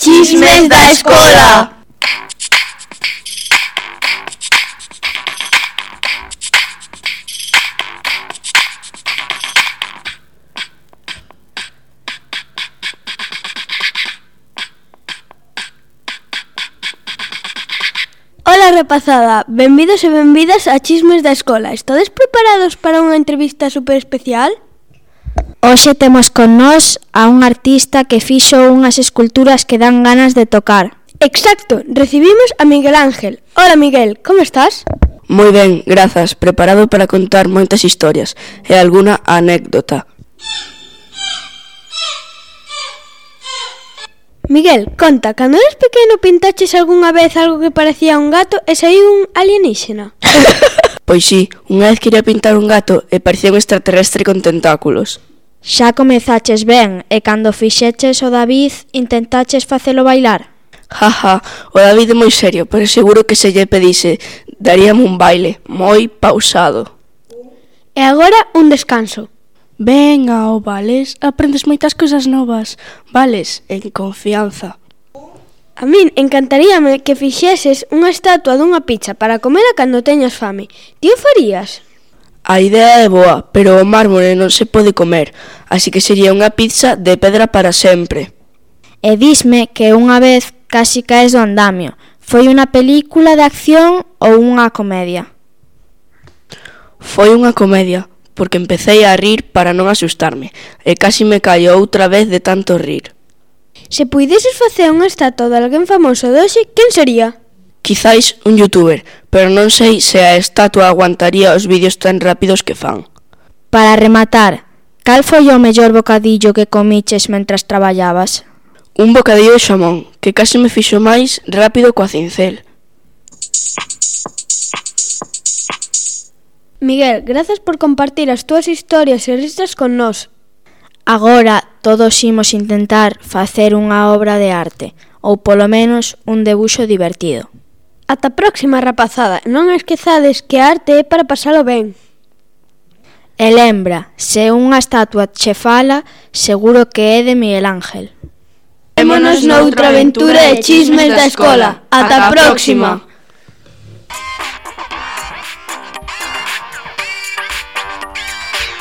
Chismes da escola. Ola rapazada, benvidos e benvidas a Chismes da Escola. Estades preparados para unha entrevista super especial? Hoxe temos con nós a un artista que fixo unhas esculturas que dan ganas de tocar. Exacto, recibimos a Miguel Ángel. Hola Miguel, como estás? Moi ben, grazas, preparado para contar moitas historias e algunha anécdota. Miguel, conta, cando eres pequeno pintaches algunha vez algo que parecía un gato e saiu un alienígena? Pois sí, unha vez quería pintar un gato e parecía un extraterrestre con tentáculos. Xa comezaches ben e cando fixeches o David intentaches facelo bailar? Jaja, o David é moi serio, pero seguro que se lle pedise daríame un baile moi pausado. E agora un descanso. Venga, Vales, aprendes moitas cousas novas. Vales, en confianza. A min encantaríame que fixeses unha estatua dunha pizza para comela cando teñas fame. Ti o farías? A idea é boa, pero o mármore non se pode comer, así que sería unha pizza de pedra para sempre. E disme que unha vez casi caes do andamio. Foi unha película de acción ou unha comedia? Foi unha comedia, porque empecé a rir para non asustarme, e casi me caio outra vez de tanto rir. Se puideses facer unha estatua de alguén famoso de hoxe, quen sería? Quizáis un youtuber, pero non sei se a estatua aguantaría os vídeos tan rápidos que fan. Para rematar, cal foi o mellor bocadillo que comiches mentras traballabas? Un bocadillo de xamón, que casi me fixo máis rápido coa cincel. Miguel, grazas por compartir as túas historias e risas con nós. Agora todos imos intentar facer unha obra de arte, ou polo menos un debuxo divertido. Ata a próxima, rapazada. Non esquezades que a arte é para pasalo ben. E lembra, se unha estatua che fala, seguro que é de Miguel Ángel. Vémonos noutra aventura de Chismes da Escola. Ata a próxima.